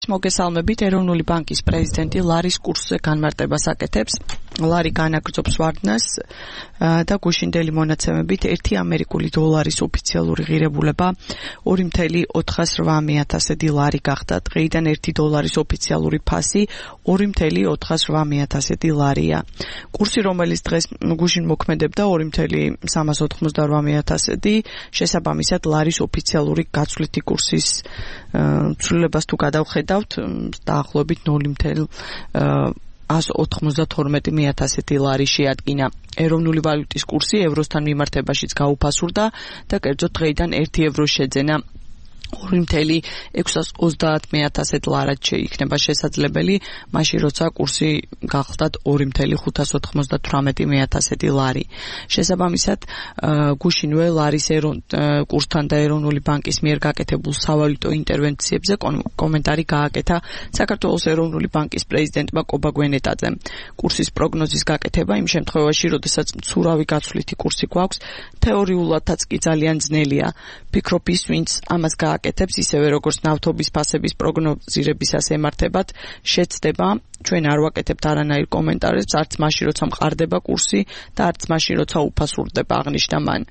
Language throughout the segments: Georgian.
მოგესალმებით. ეროვნული ბანკის პრეზიდენტი ლარის კურსზე განმარტებას აკეთებს. ლარი განაგრძობს ვარდნას და გუშინდელი მონაცემებით 1 ამერიკული დოლარის ოფიციალური ღირებულება 2.408 ლარი გახდა. დღეიდან 1 დოლარის ოფიციალური ფასი 2.408 ლარია. კურსი, რომელიც დღეს გუშინ მოქმედებდა 2.388, შესაბამისად ლარის ოფიციალური გაცვლითი კურსის ცვლილებას თუ გადავხედავთ, დაახლოებით 0.192 ლარი შეადგინა. ეროვნული ვალუტის კურსი ევროსთან მიმართებაშიც გაუფასურდა და კერძოდ დღეიდან 1 ევრო შეძენა 2.630 ლარად შეიქნება შესაძლებელი, მაშინ როცა კურსი გახლდათ 2.598 ლარი. შესაბამისად, გუშინვე ლარის კურსთან და ეროვნული ბანკის მიერ გაკეთებულ სავალუტო ინტერვენციებზე კომენტარი გააკეთა საქართველოს ეროვნული ბანკის პრეზიდენტმა კობა გვენეტაძემ. კურსის პროგნოზის გაკეთება იმ შემთხვევაში, როდესაც მცურავი გაცვლითი კურსი გვაქვს, თეორიულადაც კი ძალიან ძნელია. ფიქრობ ის, ვინც ამას აკეთებს, ისევე როგორც ნავთობის ფასების პროგნოზირებისას ემართებათ, შეცდება. ჩვენ არ ვაკეთებთ არანაირ კომენტარებს, არც მაშინ, როცა მყარდება კურსი და არც მაშინ, როცა უფასურდება, აღნიშნა მან.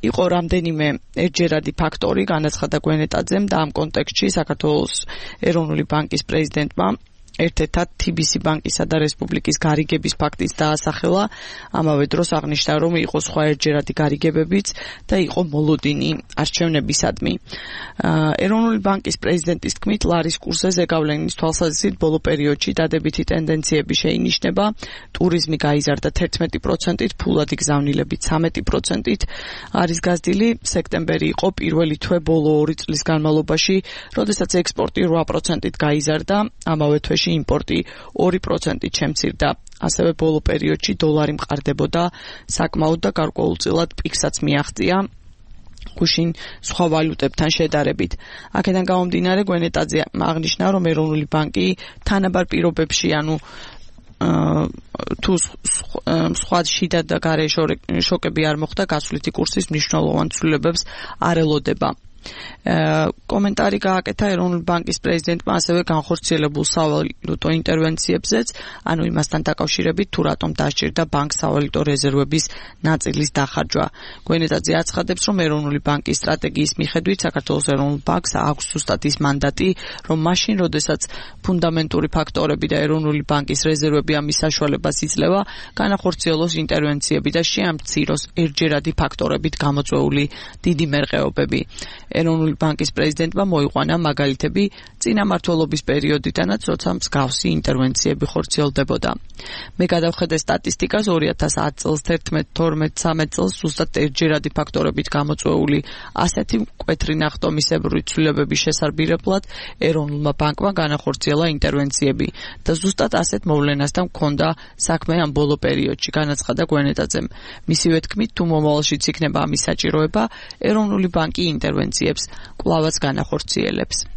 იყო რამდენიმე ერთჯერადი ფაქტორი, განაცხადა გვენეტაძემ და ამ კონტექსტში საქართველოს ეროვნული ბანკის პრეზიდენტმა ერთ-ერთად TBC ბანკისა და რესპუბლიკის გარიგების ფაქტიც დაასახელა, ამავე დროს აღნიშნა, რომ იყო სხვა ერთჯერადი გარიგებებიც და იყო მოლოდინი არჩევნებისადმი. ეროვნული ბანკის პრეზიდენტის თქმით, ლარის კურსზე ზეგავლენის თვალსაზრისით ბოლო პერიოდში დადებითი ტენდენციები შეინიშნება. ტურიზმი გაიზარდა 11%-ით, ფულადი გზავნილებით 13%-ით არის გაზრდილი. სექტემბერი იყო პირველი თვე ბოლო 2 წლის განმავლობაში, როდესაც ექსპორტი 8%-ით გაიზარდა, ამავე თვეში იმპორტი 2%-ით შემცირდა. ასევე ბოლო პერიოდში დოლარი მყარდებოდა საკმაოდ და გარკვეულწილად პიკსაც მიაღწია გუშინ სხვა ვალუტებთან შედარებით. აქედან გამომდინარე, გვენეტაძე აღნიშნა, რომ ეროვნული ბანკი თანაბარ პირობებში, თუ სხვა შიდა და გარე შოკები არ მოხდა, გაცვლითი კურსის მნიშვნელოვან ცვლილებებს არ ელოდება. კომენტარი გააკეთა ეროვნული ბანკის პრეზიდენტმა ასევე განხორციელებულ სავალუტო ინტერვენციებზეც, იმასთან დაკავშირებით, თუ რატომ დასჭირდა ბანკს სავალუტო რეზერვების ნაწილის დახარჯვა. გვენეტაძე აცხადებს, რომ ეროვნული ბანკის სტრატეგიის მიხედვით საქართველოს ეროვნულ ბანკს აქვს ზუსტად ის მანდატი, რომ მაშინ, როდესაც ფუნდამენტური ფაქტორები და ეროვნული ბანკის რეზერვები ამის საშუალებას იძლევა, განახორციელოს ინტერვენციები და შეამციროს ერთჯერადი ფაქტორებით გამოწვეული დიდი მერყეობები. ეროვნული ბანკის პრეზიდენტმა მოიყვანა მაგალითები წინამმართველობის პერიოდიდანაც, როცა მსგავსი ინტერვენციები ხორციელდებოდა. მე გადავხედე სტატისტიკას 2010 წელს, 11, 12, 13 წელს ზუსტად ერთჯერადი ფაქტორებით გამოწვეული ასეთი მკვეთრი ნახტომისებური ცვლილებების შესარბირებლად ეროვნულმა ბანკმა განახორციელა ინტერვენციები და ზუსტად ასეთ მოვლენასთან ჰქონდა საქმე ამ ბოლო პერიოდში, განაცხადა გვენეტაძემ. მისივე თქმით, თუ მომავალშიც იქნება ამის საჭიროება, ეროვნული ბანკი ინტერვენციებს კვლავაც განახორციელებს.